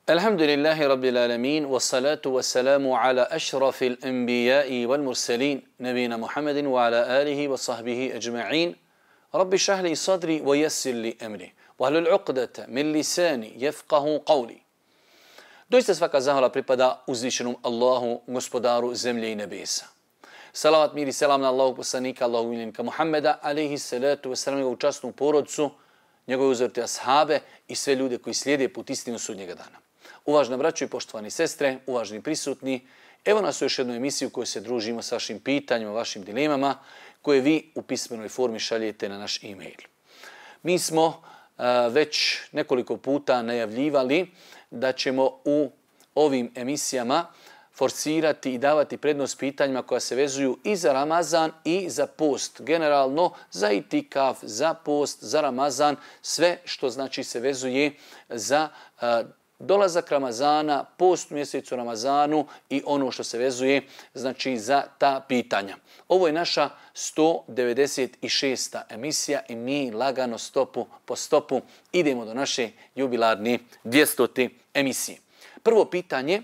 Alhamdulillahi Rabbil Alamin, wassalatu wassalamu ala ašrafil anbiya'i wal mursalin, nabina Muhammedin wa ala alihi wa sahbihi ajma'in. Rabbi šahli sadri wa yassir li amri, wa hlul uqdata min lisani yafqahu qawli. Doista svaka zahvala pripada uzvišenom Allahu, gospodaru zemlje i nebesa. Salavat, mir i selam na Allahu poslanika, Allahu miljenika Muhammeda, alaihi salatu wassalam, njegovu časnu porodcu, njegove uzorite ashabe i sve ljude koji slijede put istinu sudnjega dana. Uvažna braćo i poštovani sestre, uvažni prisutni, evo nas u još jednu emisiju u kojoj se družimo sa vašim pitanjima, vašim dilemama, koje vi u pismenoj formi šaljete na naš e-mail. Mi smo već nekoliko puta najavljivali da ćemo u ovim emisijama forsirati i davati prednost pitanjima koja se vezuju i za Ramazan i za post. Generalno za itikaf, za post, za Ramazan, sve što znači se vezuje za dolazak Ramazana, post u mjesecu Ramazanu i ono što se vezuje znači za ta pitanja. Ovo je naša 196. emisija i mi lagano stopu po stopu idemo do naše jubilarne 200. emisije. Prvo pitanje,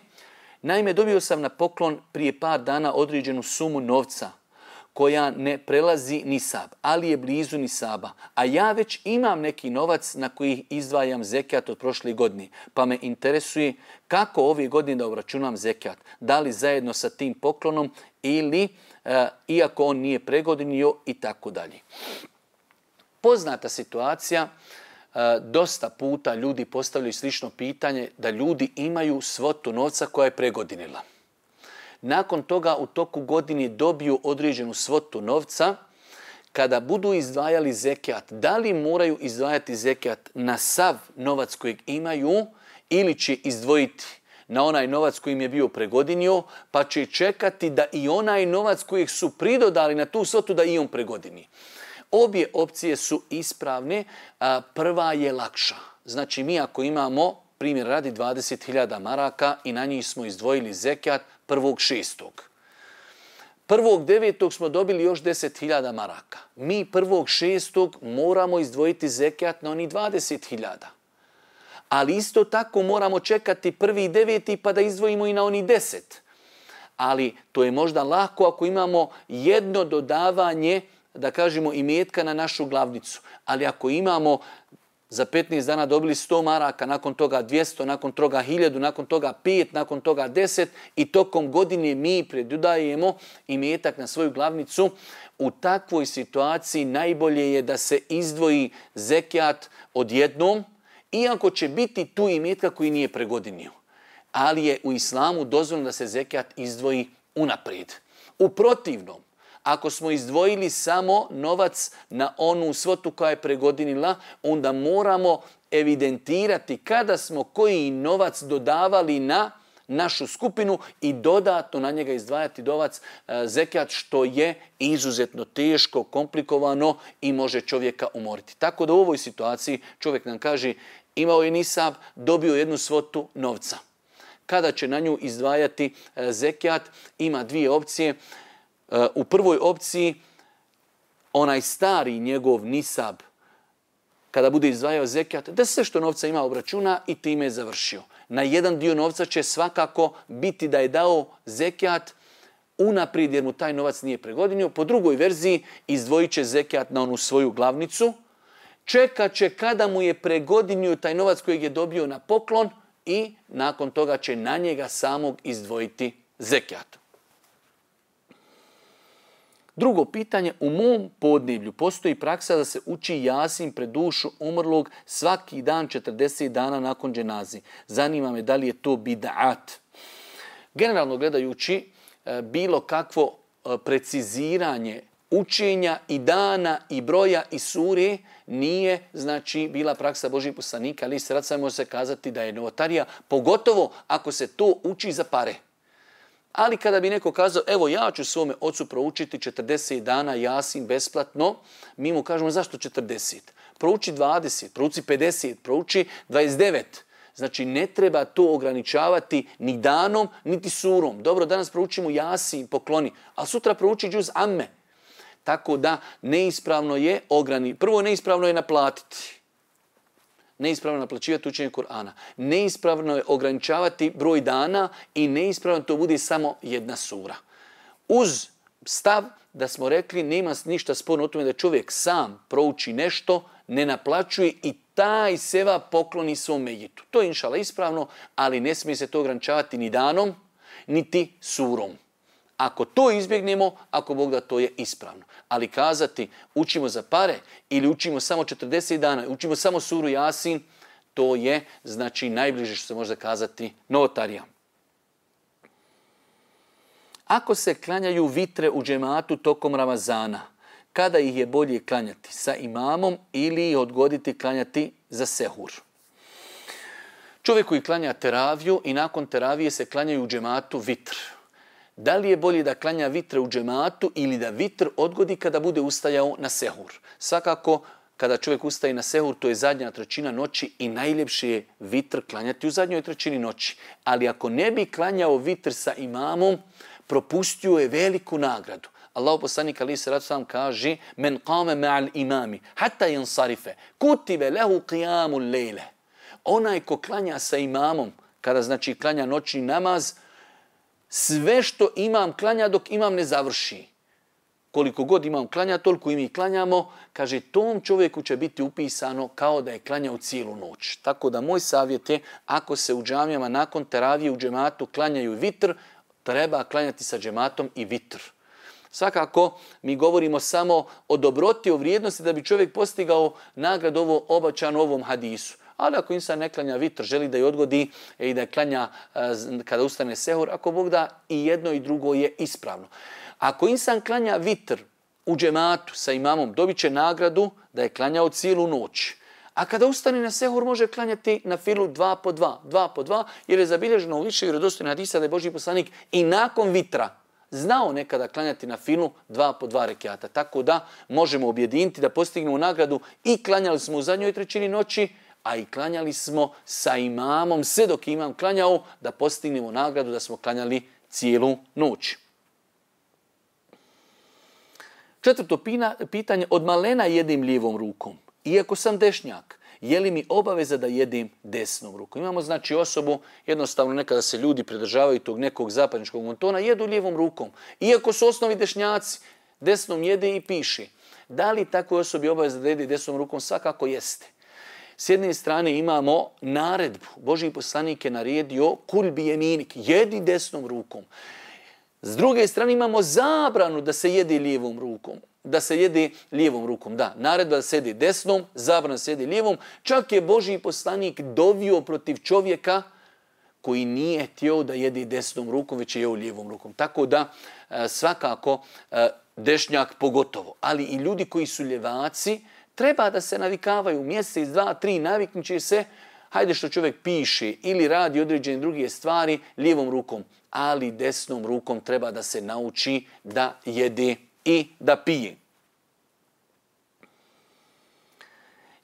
naime dobio sam na poklon prije par dana određenu sumu novca koja ne prelazi nisab, ali je blizu nisaba, a ja već imam neki novac na koji izdvajam zekat od prošle godine, pa me interesuje kako ove godine da obračunam zekat, da li zajedno sa tim poklonom ili iako on nije pregodinio i tako dalje. Poznata situacija, dosta puta ljudi postavljaju slično pitanje da ljudi imaju svotu novca koja je pregodinila. Nakon toga u toku godine dobiju određenu svotu novca. Kada budu izdvajali zekat, da li moraju izdvajati zekat na sav novac kojeg imaju ili će izdvojiti na onaj novac koji im je bio pregodinio, pa će čekati da i onaj novac kojeg su pridodali na tu svotu da i on pregodini. Obje opcije su ispravne, prva je lakša. Znači mi ako imamo, primjer radi 20.000 maraka i na njih smo izdvojili zekat 1.6. 1.9. smo dobili još 10.000 maraka. Mi 1.6. moramo izdvojiti zekat na oni 20.000. Ali isto tako moramo čekati 1.9. pa da izdvojimo i na oni 10. Ali to je možda lako ako imamo jedno dodavanje, da kažemo, imetka na našu glavnicu. Ali ako imamo za 15 dana dobili 100 maraka, nakon toga 200, nakon toga 1000, nakon toga 5, nakon toga 10 i tokom godine mi predodajemo imetak na svoju glavnicu. U takvoj situaciji najbolje je da se izdvoji zekat odjednom, iako će biti tu imetka koji nije pregodinio. Ali je u islamu dozvoljeno da se zekat izdvoji unaprijed. U protivnom, ako smo izdvojili samo novac na onu svotu koja je pregodinila, onda moramo evidentirati kada smo koji novac dodavali na našu skupinu i dodatno na njega izdvajati novac zekat, što je izuzetno teško, komplikovano i može čovjeka umoriti. Tako da u ovoj situaciji čovjek nam kaže imao je nisab, dobio jednu svotu novca. Kada će na nju izdvajati zekat, ima dvije opcije. U prvoj opciji onaj stari njegov nisab, kada bude izdvajao zekat, da sve što novca ima obračuna i time je završio. Na jedan dio novca će svakako biti da je dao zekat unaprijed jer mu taj novac nije pregodinio. Po drugoj verziji izdvojit će zekat na onu svoju glavnicu, čekat će kada mu je pregodinio taj novac kojeg je dobio na poklon i nakon toga će na njega samog izdvojiti zekat. Drugo pitanje, u mom podneblju postoji praksa da se uči Jasin pred dušu umrlog svaki dan 40 dana nakon dženaze. Zanima me da li je to bid'at. Generalno gledajući, bilo kakvo preciziranje učenja i dana i broja i sure nije znači bila praksa Božjih poslanika, ali sad samo može se kazati da je novotarija, pogotovo ako se to uči za pare. Ali kada bi neko kazao, evo ja ću svome ocu proučiti 40 dana Jasin besplatno, mi mu kažemo zašto 40? Prouči 20, prouči 50, prouči 29. Znači ne treba to ograničavati ni danom, niti surom. Dobro, danas proučimo Jasin, pokloni, a sutra prouči džuz amme. Tako da neispravno je prvo neispravno je naplatiti. neispravno naplaćivati učenje Kur'ana, neispravno je ograničavati broj dana i neispravno to bude samo jedna sura. Uz stav da smo rekli nema ništa sporno o tome da čovjek sam prouči nešto, ne naplaćuje i taj seva pokloni svom mejitu. To je inšala ispravno, ali ne smije se to ograničavati ni danom, niti surom. Ako to izbjegnemo, ako Bog da, to je ispravno. Ali kazati učimo za pare ili učimo samo 40 dana, učimo samo suru Jasin, to je znači najbliže što se može kazati novotarija. Ako se klanjaju vitre u džematu tokom Ramazana, kada ih je bolje klanjati? Sa imamom ili odgoditi klanjati za sehur? Čovjek koji klanja teraviju i nakon teravije se klanjaju u džematu vitr. Da li je bolje da klanja vitre u džematu ili da vitr odgodi kada bude ustajao na sehur? Svakako, kada čovjek ustaje na sehur, to je zadnja trećina noći i najljepše je vitr klanjati u zadnjoj trećini noći. Ali ako ne bi klanjao vitr sa imamom, propustio je veliku nagradu. Allahu poslanik alejhi selatu selam kaže: "Men qama ma'al imami hatta yansarifa, kutiba lahu qiyamul layl." Onaj ko klanja sa imamom, kada znači klanja noćni namaz, sve što imam klanja dok imam ne završi. Koliko god imam klanja, toliko i mi klanjamo, kaže, tom čovjeku će biti upisano kao da je klanjao cijelu noć. Tako da moj savjet je, ako se u džamijama nakon teravije u džematu klanjaju vitr, treba klanjati sa džematom i vitr. Svakako, mi govorimo samo o dobroti, o vrijednosti da bi čovjek postigao nagradu ovo obačano ovom hadisu. Ali ako insan ne klanja vitr, želi da je odgodi i da je klanja kada ustane sehur, ako Bog da, i jedno i drugo je ispravno. Ako insan klanja vitr u džematu sa imamom, dobit će nagradu da je klanjao cijelu noć. A kada ustane na sehur, može klanjati na filu 2 po 2, jer je zabilježeno u više vjerodostojnih hadisa da je Božji poslanik i nakon vitra znao nekada klanjati na filu 2 po 2 rekiata. Tako da možemo objediniti da postignemo nagradu i klanjali smo u zadnjoj trećini noći, a i klanjali smo sa imamom, sve dok imam klanjao, da postignemo nagradu da smo klanjali cijelu noć. Četvrto pitanje, od malena jedim lijevom rukom. Iako sam dešnjak, je li mi obaveza da jedim desnom rukom? Imamo znači osobu, jednostavno nekada se ljudi pridržavaju tog nekog zapadničkog montona, jedu lijevom rukom. Iako su osnovi dešnjaci, desnom jede i piše. Da li takvoj osobi obaveza da jede desnom rukom? Svakako jeste. S jedne strane imamo naredbu. Božji poslanik je naredio kul bi jeminik, jedi desnom rukom. S druge strane imamo zabranu da se jede lijevom rukom. Da se jede lijevom rukom, da. Naredba da se jede desnom, zabrana da se jede lijevom. Čak je Božji poslanik dovio protiv čovjeka koji nije htio da jede desnom rukom, već je jeo lijevom rukom. Tako da svakako dešnjak pogotovo. Ali i ljudi koji su ljevaci treba da se navikavaju mjesec, 2, 3, naviknut će se, hajde što čovjek piše ili radi određene druge stvari lijevom rukom, ali desnom rukom treba da se nauči da jede i da pije.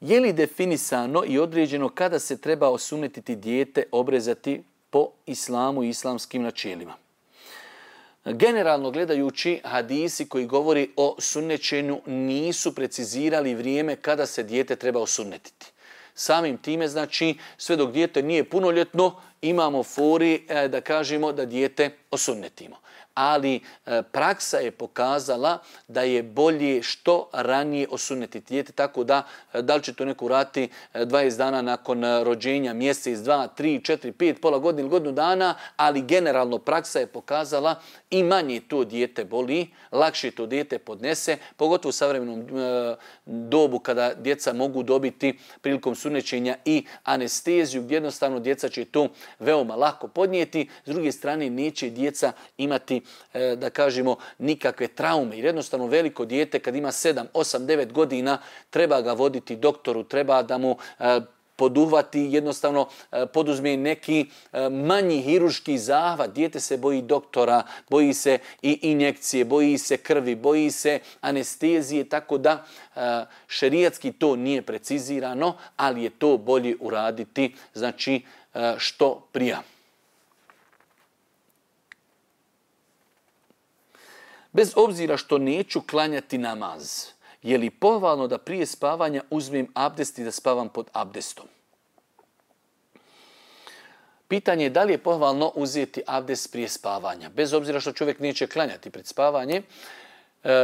Je li definisano i određeno kada se treba osunnetiti dijete, obrezati po islamu i islamskim načelima? Generalno gledajući, hadisi koji govori o sunnećenju nisu precizirali vrijeme kada se dijete treba osunnetiti. Samim time, znači, sve dok dijete nije punoljetno, imamo fori da kažemo da dijete osunnetimo. Ali praksa je pokazala da je bolje što ranije osunnetiti dijete, tako da li će to neko uraditi 20 dana nakon rođenja, mjesec, 2, 3, 4, 5, pola godine ili godinu dana, ali generalno praksa je pokazala i manje to dijete boli, lakše to dijete podnese, pogotovo u savremenom dobu kada djeca mogu dobiti prilikom sunnećenja i anesteziju, gdje jednostavno djeca će to veoma lako podnijeti. S druge strane, neće djeca imati, da kažemo, nikakve traume. Jer jednostavno veliko dijete kad ima 7, 8, 9 godina treba ga voditi doktoru, treba da mu poduhvati, jednostavno poduzme neki manji hirurški zahvat. Dijete se boji doktora, boji se i injekcije, boji se krvi, boji se anestezije, tako da šerijatski to nije precizirano, ali je to bolje uraditi, znači što prija. Bez obzira što neću klanjati namaz, je li pohvalno da prije spavanja uzmem abdest i da spavam pod abdestom? Pitanje je da li je pohvalno uzeti abdest prije spavanja. Bez obzira što čovjek neće klanjati pred spavanje,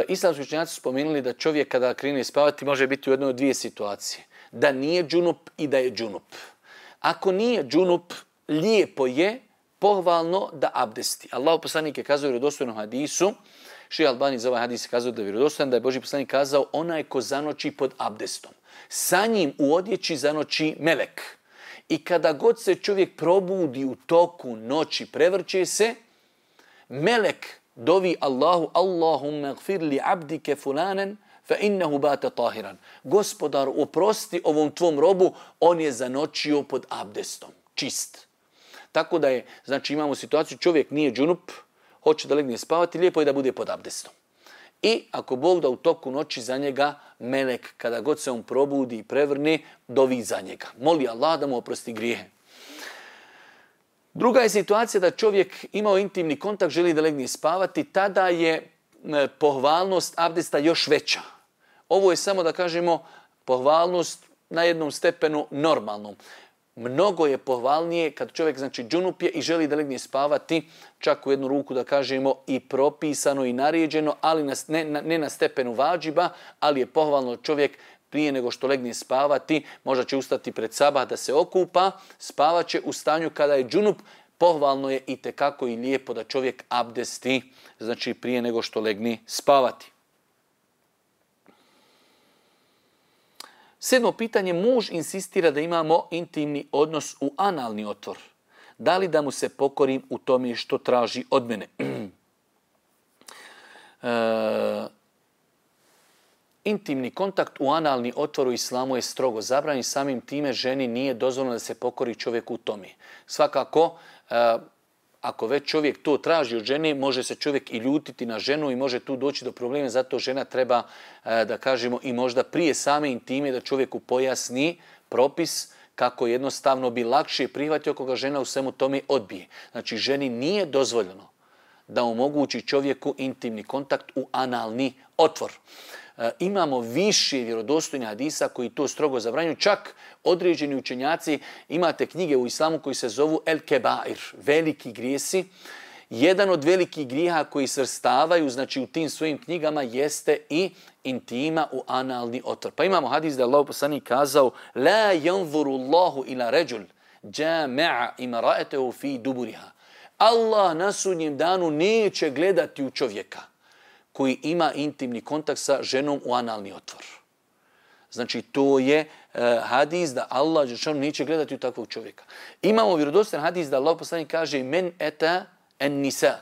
islamski učenjaci su spomenuli da čovjek kada krene spavati može biti u jednoj od dvije situacije. Da nije džunup i da je džunup. Ako nije džunup, lijepo je pohvalno da abdesti. Allahu poslanik je kazao u vjerodostojnom hadisu, Šejh Albani za ovaj hadis kazao da je vjerodostojan, da je Božji poslanik kazao onaj ko zanoći pod abdestom. Sa njim u odjeći zanoći melek. I kada god se čovjek probudi u toku noći, prevrće se, melek dovi Allahu, Allahumma gfir li abdike fulanen, fa innehu bate tahiran. Gospodar, oprosti ovom tvom robu, on je zanočio pod abdestom. Čist. Tako da je, znači imamo situaciju, čovjek nije džunup, hoće da legne spavati, lijepo je da bude pod abdestom. I ako Bog da u toku noći za njega, melek, kada god se on probudi i prevrne, dovi za njega. Moli Allah da mu oprosti grijehe. Druga je situacija da čovjek imao intimni kontakt, želi da legne spavati, tada je pohvalnost abdesta još veća. Ovo je samo da kažemo pohvalnost na jednom stepenu normalnom. Mnogo je pohvalnije kad čovjek znači džunup je i želi da legne spavati, čak u jednu ruku da kažemo i propisano i naređeno, ali ne na stepenu vađiba, ali je pohvalno čovjek prije nego što legne spavati, možda će ustati pred sabah da se okupa, spavat će u stanju kada je džunup, pohvalno je i tekako i lijepo da čovjek abdesti, znači prije nego što legne spavati. 7. pitanje, muž insistira da imamo intimni odnos u analni otvor. Da li da mu se pokorim u tome što traži od mene? Intimni kontakt u analni otvor u islamu je strogo zabranjen, samim time ženi nije dozvoljeno da se pokori čovjeku u tome. Svakako, ako već čovjek to traži od žene, može se čovjek i ljutiti na ženu i može tu doći do problema, zato žena treba, da kažemo, i možda prije same intime da čovjeku pojasni propis kako jednostavno bi lakše prihvatio ako ga žena u svemu tome odbije. Znači, ženi nije dozvoljeno da omogući čovjeku intimni kontakt u analni otvor. Imamo više vjerodostojnih hadisa koji to strogo zabranjuju. Čak određeni učenjaci, imate knjige u islamu koji se zovu El Kebair, veliki grijesi. Jedan od velikih grijeha koji svrstavaju, znači u tim svojim knjigama, jeste i intima u analni otvor. Pa imamo hadis da je Allahu poslanik kazao: La yanzuru Allahu ila rajul jama'a imra'atahu fi duburiha. Allah na sudnjem danu neće gledati u čovjeka koji ima intimni kontakt sa ženom u analni otvor. Znači, to je hadis da Allah neće gledati u takvog čovjeka. Imamo vjerodostojan hadis da Allah poslanik kaže: Men eta en nisa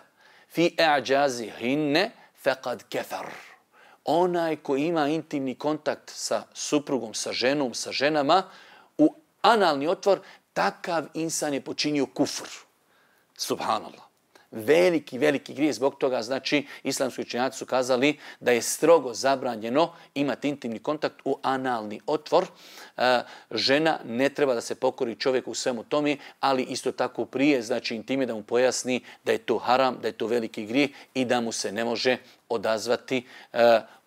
fi a'jazihinne faqad kafar. Onaj koji ima intimni kontakt sa suprugom, sa ženom, sa ženama u analni otvor, takav insan je počinio kufr. Subhanallah. Veliki, veliki grijeh. Zbog toga, znači, islamski učenjaci su kazali da je strogo zabranjeno imati intimni kontakt u analni otvor. Žena ne treba da se pokori čovjeku u svemu tome, ali isto tako prije, znači intime da mu pojasni da je to haram, da je to veliki grijeh i da mu se ne može odazvati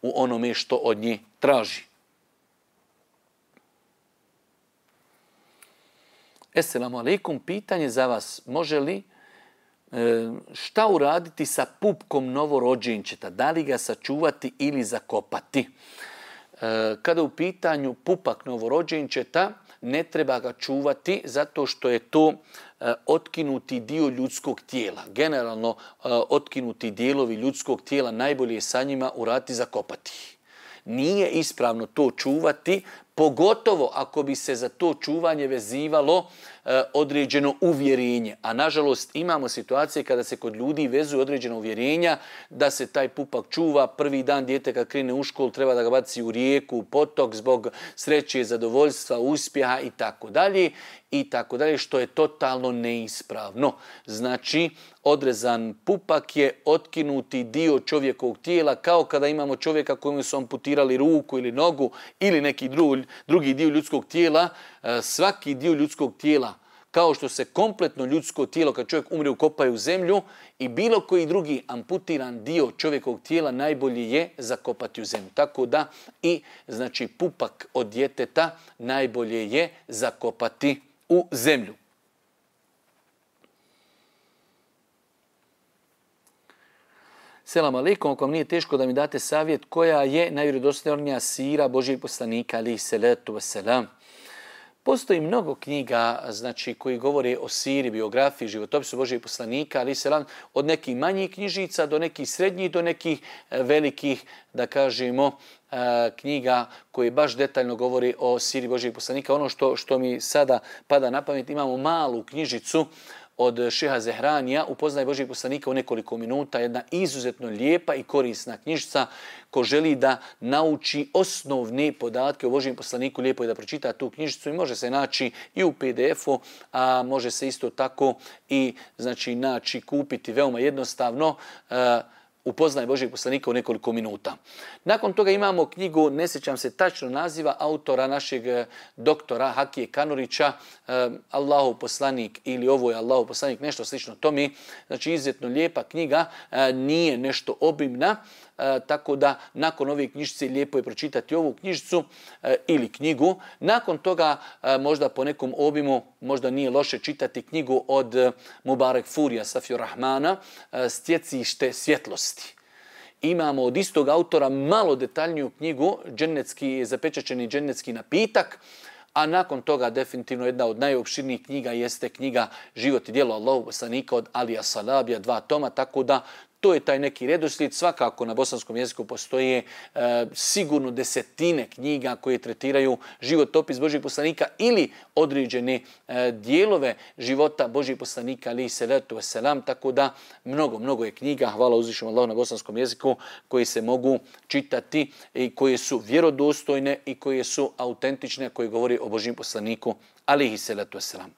u onome što od nje traži. Esselamu alaikum, pitanje za vas. Može li šta uraditi sa pupkom novorođenčeta? Da li ga sačuvati ili zakopati? Kada u pitanju pupak novorođenčeta, ne treba ga čuvati zato što je to otkinuti dio ljudskog tijela. Generalno, otkinuti dijelovi ljudskog tijela najbolje je sa njima uraditi zakopati. Nije ispravno to čuvati, pogotovo ako bi se za to čuvanje vezivalo određeno uvjerenje. A nažalost imamo situacije kada se kod ljudi vezuju određena uvjerenja da se taj pupak čuva prvi dan dijete kad krene u školu, treba da ga baci u rijeku, u potok zbog sreće, zadovoljstva, uspjeha i tako dalje, što je totalno neispravno. Znači, odrezan pupak je otkinuti dio čovjekovog tijela, kao kada imamo čovjeka kojemu su amputirali ruku ili nogu ili neki drugi dio ljudskog tijela. Svaki dio ljudskog tijela, kao što se kompletno ljudsko tijelo kad čovjek umre ukopaju u zemlju, i bilo koji drugi amputiran dio čovjekovog tijela najbolje je zakopati u zemlju. Tako da i znači pupak od djeteta najbolje je zakopati u zemlju. Selam alejkum, ako vam nije teško da mi date savjet koja je najvjerodostojnija sira Božijeg poslanika alejhi salatu vesselam. Postoji mnogo knjiga, znači, koji govore o siri, biografiji, životopisu Božijeg poslanika, alejhi selam, od nekih manjih knjižica do nekih srednjih, do nekih velikih, da kažemo, knjiga koje baš detaljno govori o siri Božijeg poslanika. Ono što mi sada pada na pamet, imamo malu knjižicu od šeha Zehranija, Upoznaj Božijeg poslanika u nekoliko minuta, jedna izuzetno lijepa i korisna knjižica. Ko želi da nauči osnovne podatke o Božijem poslaniku, lijepo je da pročita tu knjižicu i može se naći i u PDF-u, a može se isto tako i znači naći, kupiti veoma jednostavno Upoznaj Božijeg poslanika u nekoliko minuta. Nakon toga imamo knjigu, ne sjećam se tačno naziva, autora našeg doktora Hakije Kanurića, Allahov poslanik ili ovo je Allahov poslanik, nešto slično tome. Znači izuzetno lijepa knjiga, nije nešto obimna, tako da nakon ove knjižice lijepo je pročitati ovu knjižicu ili knjigu. Nakon toga možda po nekom obimu možda nije loše čitati knjigu od Mubarek Furija Safiju Rahmana, Stjecište svjetlosti. Imamo od istog autora malo detaljniju knjigu, zapečaćeni džennetski napitak, a nakon toga definitivno jedna od najopširnijih knjiga jeste knjiga Život i djelo Allahovog poslanika od Alija Salabija, 2 toma, tako da to je taj neki redoslijed. Svakako na bosanskom jeziku postoje sigurno desetine knjiga koje tretiraju životopis Božijeg poslanika ili određene dijelove života Božijeg poslanika alejhi salatu vesselam, tako da mnogo je knjiga, hvala uzvišenom Allahu, na bosanskom jeziku koji se mogu čitati i koje su vjerodostojne i koje su autentične, koje govori o Božijem poslaniku alejhi salatu vesselam.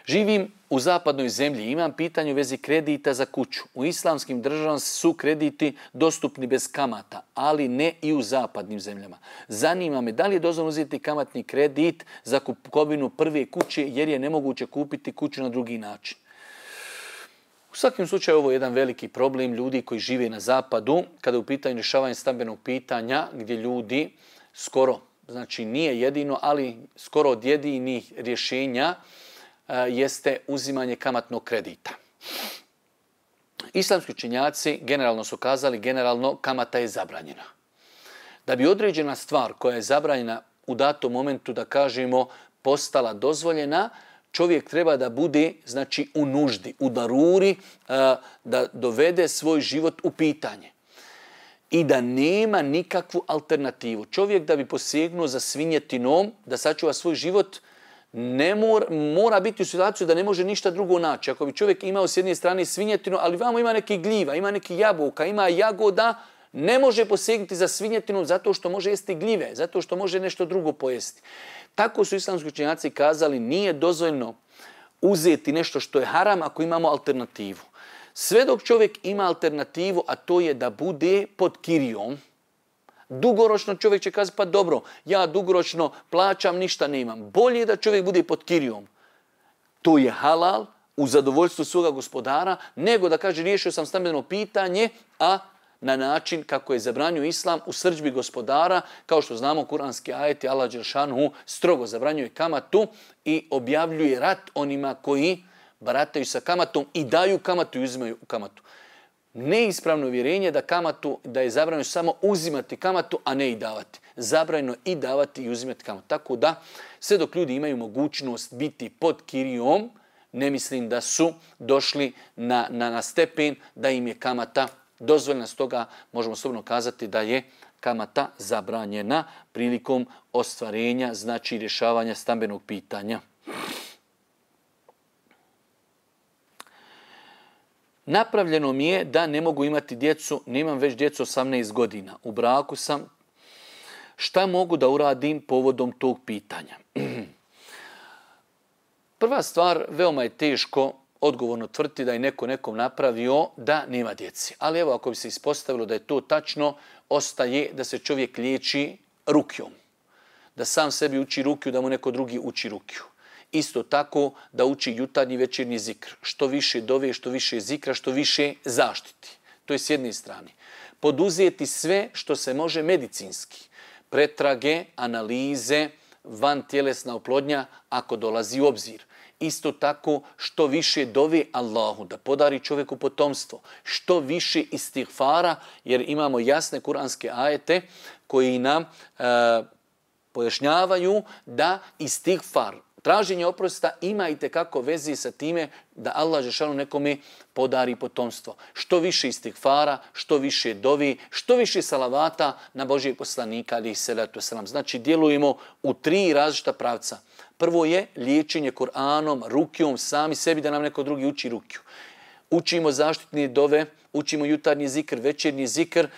Živim u zapadnoj zemlji, imam pitanje u vezi kredita za kuću. U islamskim državama su krediti dostupni bez kamata, ali ne i u zapadnim zemljama. Zanima me da li je dozvoljeno uzeti kamatni kredit za kupovinu prve kuće jer je nemoguće kupiti kuću na drugi način. U svakom slučaju ovo je jedan veliki problem ljudi koji žive na zapadu kada je u pitanju rješavanja stambenog pitanja gdje ljudi skoro, znači nije jedino, ali skoro od jedinih rješenja jeste uzimanje kamatnog kredita. Islamski učenjaci generalno su kazali, generalno kamata je zabranjena. Da bi određena stvar koja je zabranjena u datom momentu, da kažemo, postala dozvoljena, čovjek treba da bude, znači, u nuždi, u daruri, da dovede svoj život u pitanje i da nema nikakvu alternativu. Čovjek da bi posegnuo za svinjetinom, da sačuva svoj život, mora biti u situaciju da ne može ništa drugo naći. Ako bi čovjek imao s jedne strane svinjetinu, ali vamo ima neki gljiva, ima neki jabuka, ima jagoda, ne može posegnuti za svinjetinom zato što može jesti gljive, zato što može nešto drugo pojesti. Tako su islamski učenjaci kazali, nije dozvoljno uzeti nešto što je haram ako imamo alternativu. Sve dok čovjek ima alternativu, a to je da bude pod kirijom, dugoročno čovjek će kazati, pa dobro, ja dugoročno plaćam, ništa nemam. Bolje je da čovjek bude pod kirijom. To je halal, u zadovoljstvu svoga gospodara, nego da kaže riješio sam stambeno pitanje, a na način kako je zabranio Islam u srdžbi gospodara, kao što znamo kuranski ajeti, Allah dželešanu strogo zabranjuje kamatu i objavljuje rat onima koji barataju sa kamatom i daju kamatu i uzimaju kamatu. Neispravno uvjerenje da je zabranjeno samo uzimati kamatu, a ne i davati. Zabranjeno i davati i uzimati kamatu. Tako da, sve dok ljudi imaju mogućnost biti pod kirijom, ne mislim da su došli na stepen da im je kamata dozvoljena. Stoga možemo slobodno kazati da je kamata zabranjena prilikom ostvarenja, znači rješavanja stambenog pitanja. Napravljeno mi je da ne mogu imati djecu, nemam već djecu 18 godina. U braku sam. Šta mogu da uradim povodom tog pitanja? Prva stvar, veoma je teško odgovorno tvrditi da je neko nekom napravio da nema djeci. Ali evo, ako bi se ispostavilo da je to tačno, ostaje da se čovjek liječi rukjom. Da sam sebi uči rukju, da mu neko drugi uči rukju. Isto tako da uči jutarnji večernji zikr. Što više dove, što više zikra, što više zaštiti. To je s jedne strane. Poduzeti sve što se može medicinski. Pretrage, analize, van tjelesna oplodnja ako dolazi u obzir. Isto tako što više dove Allahu da podari čovjeku potomstvo, što više istighfara, jer imamo jasne kuranske ajete koji nam pojašnjavaju da istighfar, traženje oprosta ima i tekako vezi sa time da Allah dželešanu nekome podari potomstvo. Što više istighfara, što više dovi, što više salavata na Božijeg poslanika alejhi selatu vesselam. Znači djelujemo u 3 različita pravca. Prvo je liječenje Kur'anom, rukijom, sami sebi da nam neko drugi uči rukiju. Učimo zaštitne dove, učimo jutarnji zikr, večernji zikr,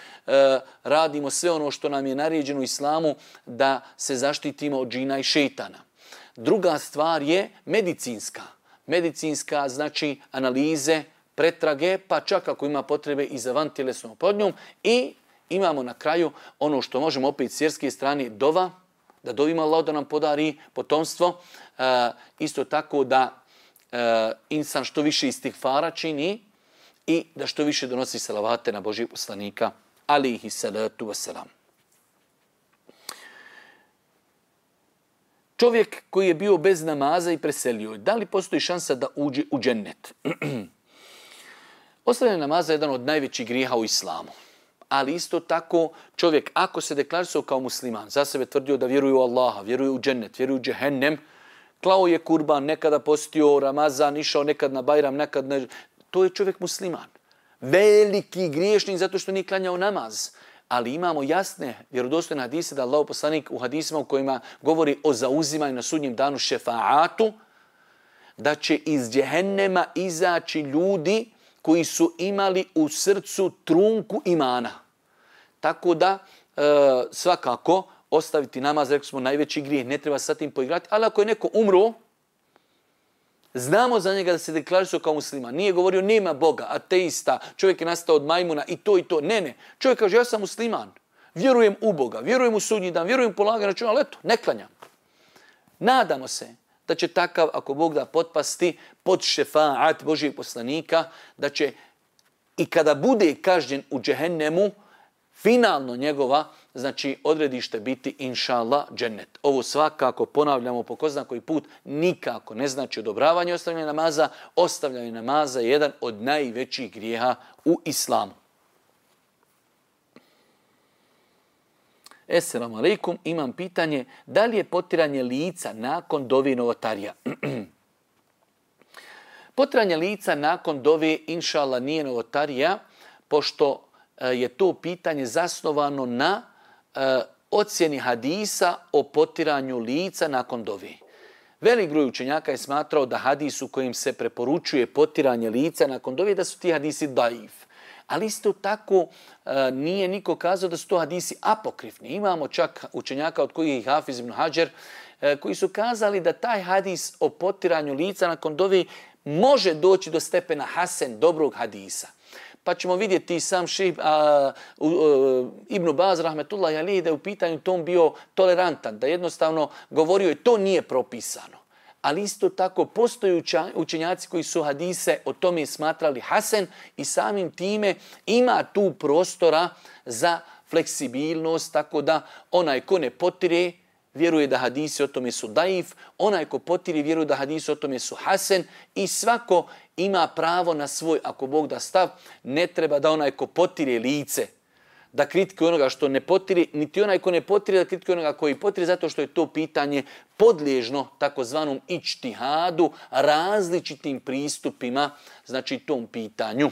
radimo sve ono što nam je naređeno u islamu da se zaštitimo od džina i šejtana. Druga stvar je medicinska. Medicinska znači analize, pretrage, pa čak ako ima potrebe i za vantjelesnom oplodnjom. I imamo na kraju ono što možemo opet s vjerske strane dova, da dovimo Allah da nam podari potomstvo. Isto tako da insan što više istighfara čini i da što više donosi salavate na Božijeg poslanika alejhi salatu vesselam. Čovjek koji je bio bez namaza i preselio, da li postoji šansa da uđe u džennet? Ostavljanje namaza je jedan od najvećih grijeha u islamu. Ali isto tako čovjek ako se deklarisao kao musliman, za sebe tvrdio da vjeruje u Allaha, vjeruje u džennet, vjeruje u džehennem, klao je kurban, nekada postio Ramazan, išao nekad na Bajram, nekad ne... To je čovjek musliman. Veliki griješnik zato što nije klanjao namaz. Ali imamo jasne vjerodostojne hadise da Allahov poslanik u hadisima u kojima govori o zauzimanju na sudnjem danu šefaatu, da će iz džehennema izaći ljudi koji su imali u srcu trunku imana. Tako da svakako ostaviti namaz, rekli smo, najveći grijeh, ne treba sa tim poigrati, ali ako je neko umro, znamo za njega da se deklarisao kao musliman. Nije govorio nema Boga, ateista, čovjek je nastao od majmuna i to i to. Ne. Čovjek kaže ja sam musliman, vjerujem u Boga, vjerujem u sudnji dan, vjerujem u polaganje računa, ali eto, ne klanjam. Nadamo se da će takav, ako Bog da, potpasti pod šefaat Božijeg poslanika, da će i kada bude kažnjen u džehennemu, finalno njegova, znači odredište biti inša Allah džennet. Ovo svakako ponavljamo po ko zna koji put, nikako ne znači odobravanje ostavljanja namaza. Ostavljanje namaza je jedan od najvećih grijeha u islamu. Esselamu alaikum, imam pitanje, da li je potiranje lica nakon dove novotarija? Potiranje lica nakon dove, inša Allah, nije novotarija, pošto je to pitanje zasnovano na ocjeni hadisa o potiranju lica nakon dove. Velik broj učenjaka je smatrao da hadis u kojim se preporučuje potiranje lica nakon dove, da su ti hadisi daif. Ali isto tako nije niko kazao da su to hadisi apokrifni. Imamo čak učenjaka od kojih je Hafiz ibn Hadžer koji su kazali da taj hadis o potiranju lica nakon dove može doći do stepena hasen, dobrog hadisa. Pa ćemo vidjeti sam šejh Ibn Baz rahmetullahi alejhi da je u pitanju tom bio tolerantan, da jednostavno govorio je to nije propisano. Ali isto tako postoje učenjaci koji su hadise o tome smatrali hasen i samim time ima tu prostora za fleksibilnost, tako da onaj ko ne potire vjeruje da hadisi o tome su daif, onaj ko potiri vjeruje da hadisi o tome su hasen i svako ima pravo na svoj, ako Bog da stav, ne treba da onaj ko potire lice, da kritikuje onoga što ne potiri, niti onaj ko ne potiri da kritikuje onoga koji potiri, zato što je to pitanje podliježno takozvanom ičtihadu, različitim pristupima, znači tom pitanju.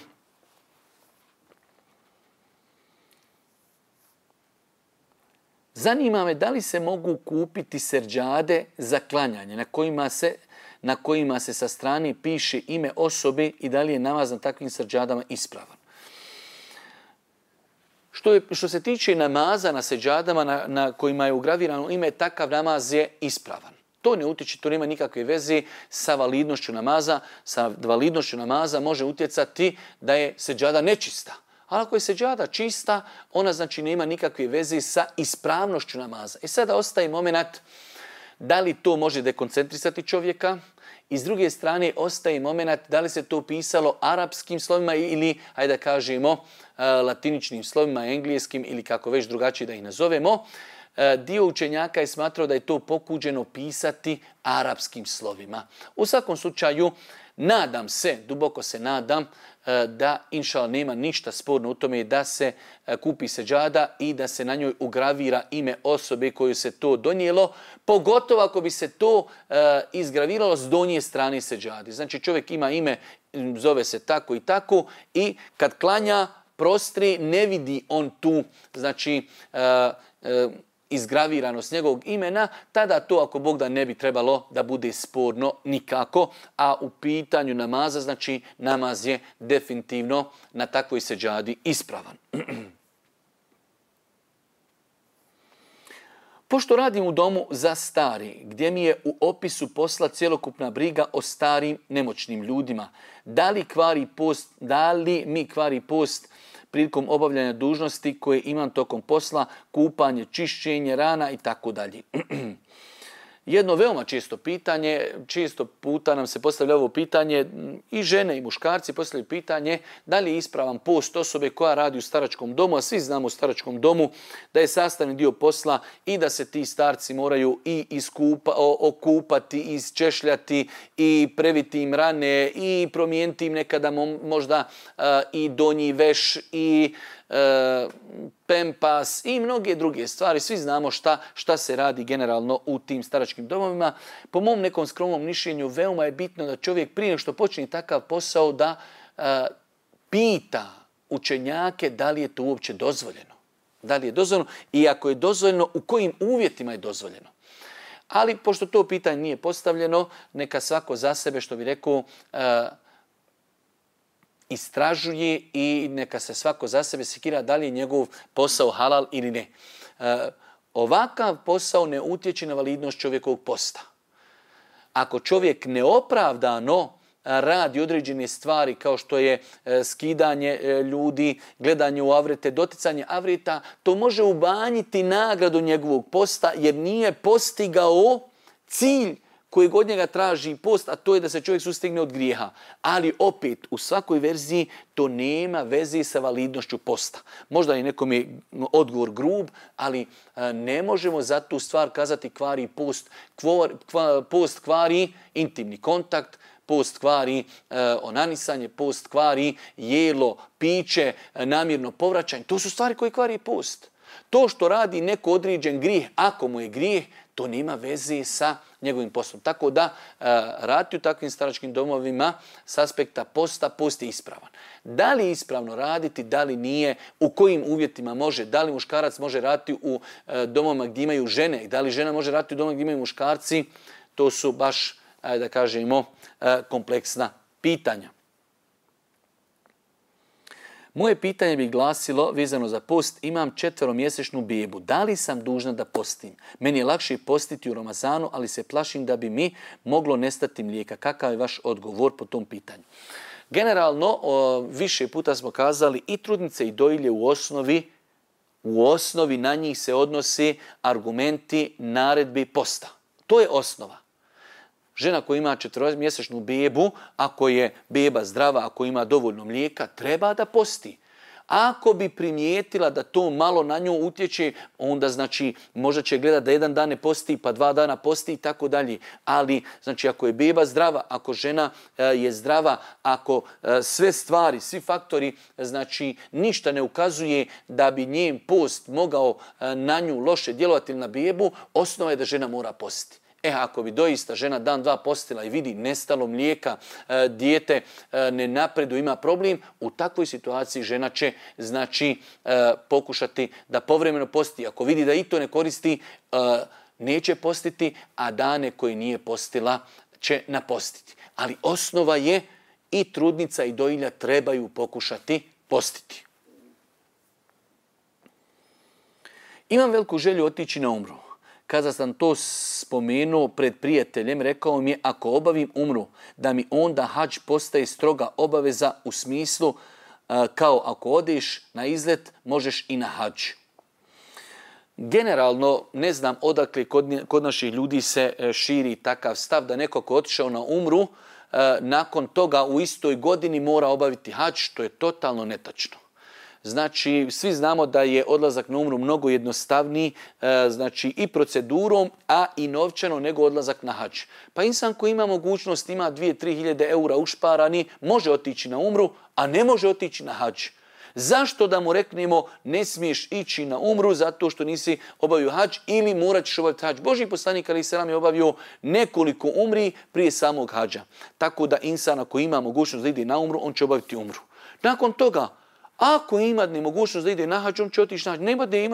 Zanima me da li se mogu kupiti seđade za klanjanje na kojima se sa strane piše ime osobe i da li je namaz na takvim seđadama ispravan. Što se tiče namaza na seđadama na kojima je ugravirano ime, takav namaz je ispravan. To ne utječe, to nema nikakve veze sa validnošću namaza. Sa validnošću namaza može utjecati da je seđada nečista. Ali ako je seđada čista, ona znači nema nikakve veze sa ispravnošću namaza. I sada ostaje moment da li to može dekoncentrisati čovjeka i s druge strane ostaje moment da li se to pisalo arapskim slovima ili, hajde da kažemo, latiničnim slovima, engleskim ili kako već drugačije da ih nazovemo. dio učenjaka je smatrao da je to pokuđeno pisati arapskim slovima. U svakom slučaju, nadam se, duboko se nadam, da inšala nema ništa sporno u tome da se kupi seđada i da se na njoj ugravira ime osobe koju se to donijelo, pogotovo ako bi se to izgraviralo s donje strane seđadi. Znači čovjek ima ime, zove se tako i tako i kad klanja prostri ne vidi on tu, znači izgraviranost njegovog imena, tada to ako Bog da ne bi trebalo da bude sporno nikako, a u pitanju namaza, znači namaz je definitivno na takvoj seđadi ispravan. Pošto radim u domu za stari, gdje mi je u opisu posla cjelokupna briga o starim nemoćnim ljudima, da li mi kvari post prilikom obavljanja dužnosti koje imam tokom posla, kupanje, čišćenje rana i tako dalje. Jedno veoma često pitanje, često puta nam se postavlja ovo pitanje, i žene i muškarci postavljaju pitanje da li je ispravan post osobe koja radi u staračkom domu, a svi znamo u staračkom domu da je sastavni dio posla i da se ti starci moraju i okupati, isčešljati i previti im rane i promijeniti im nekada možda i donji veš i pempas i mnoge druge stvari. Svi znamo šta se radi generalno u tim staračkim domovima. Po mom nekom skromnom mišljenju veoma je bitno da čovjek prije što počne takav posao da pita učenjake da li je to uopće dozvoljeno. Da li je dozvoljeno i ako je dozvoljeno, u kojim uvjetima je dozvoljeno. Ali pošto to pitanje nije postavljeno, neka svako za sebe, što bi rekao, istražuje i neka se svako za sebe sekira da li je njegov posao halal ili ne. Ovakav posao ne utječe na validnost čovjekovog posta. Ako čovjek neopravdano radi određene stvari kao što je skidanje ljudi, gledanje u avrete, doticanje avreta, to može umanjiti nagradu njegovog posta jer nije postigao cilj kojeg od njega traži post, a to je da se čovjek sustigne od grijeha. Ali opet, u svakoj verziji to nema veze sa validnošću posta. Možda je nekom je odgovor grub, ali ne možemo za tu stvar kazati kvari post. Post kvari intimni kontakt, post kvari onanisanje, post kvari jelo, piće, namjerno povraćanje. To su stvari koje kvari post. To što radi neko određen grijeh, ako mu je grijeh, to nema veze sa njegovim poslom. Tako da raditi u takvim staračkim domovima s aspekta posta, post je ispravan. Da li je ispravno raditi, da li nije, u kojim uvjetima može, da li muškarac može raditi u domovima gdje imaju žene, da li žena može raditi u domovima gdje imaju muškarci, to su baš, da kažemo, kompleksna pitanja. Moje pitanje bi glasilo, vezano za post, imam 4-mjesečnu bebu. Da li sam dužna da postim? Meni je lakše postiti u Ramazanu, ali se plašim da bi mi moglo nestati mlijeka. Kakav je vaš odgovor po tom pitanju? Generalno, više puta smo kazali, i trudnice i dojilje u osnovi na njih se odnose argumenti naredbi posta. To je osnova. Žena koja ima 4-mjesečnu bebu, ako je beba zdrava, ako ima dovoljno mlijeka, treba da posti. Ako bi primijetila da to malo na nju utječe, onda znači možda će gledati da jedan dan ne posti, pa 2 dana posti i tako dalje. Ali znači ako je beba zdrava, ako žena je zdrava, ako sve stvari, svi faktori, znači ništa ne ukazuje da bi njen post mogao na nju loše djelovati na bebu, osnova je da žena mora postiti. Ako bi doista žena dan, dva postila i vidi nestalo mlijeka, dijete ne napreduje, ima problem, u takvoj situaciji žena će znači pokušati da povremeno posti. Ako vidi da i to ne koristi, neće postiti, a dane koje nije postila će napostiti. Ali osnova je i trudnica i dojilja trebaju pokušati postiti. Imam veliku želju otići na umru. Kada sam to spomenuo pred prijateljem, rekao mi je ako obavim umru, da mi onda hadž postaje stroga obaveza u smislu kao ako odeš na izlet, možeš i na hadž. Generalno, ne znam odakle kod naših ljudi se širi takav stav da neko ko je otišao na umru, nakon toga u istoj godini mora obaviti hadž, što je totalno netačno. Znači, svi znamo da je odlazak na umru mnogo jednostavniji, znači i procedurom, a i novčano nego odlazak na hadž. Pa insan koji ima mogućnost, ima 2-3 hiljade eura ušparani, može otići na umru, a ne može otići na hadž. Zašto da mu reknemo ne smiješ ići na umru zato što nisi obavio hadž ili morat ćeš obaviti hadž? Božji poslanik alejhi selam je obavio nekoliko umri prije samog hadža. Tako da insan ako ima mogućnost da ide na umru, on će obaviti umru. Nakon toga, ako ima nemogućnost da ide na hadž, on će otići na hadž.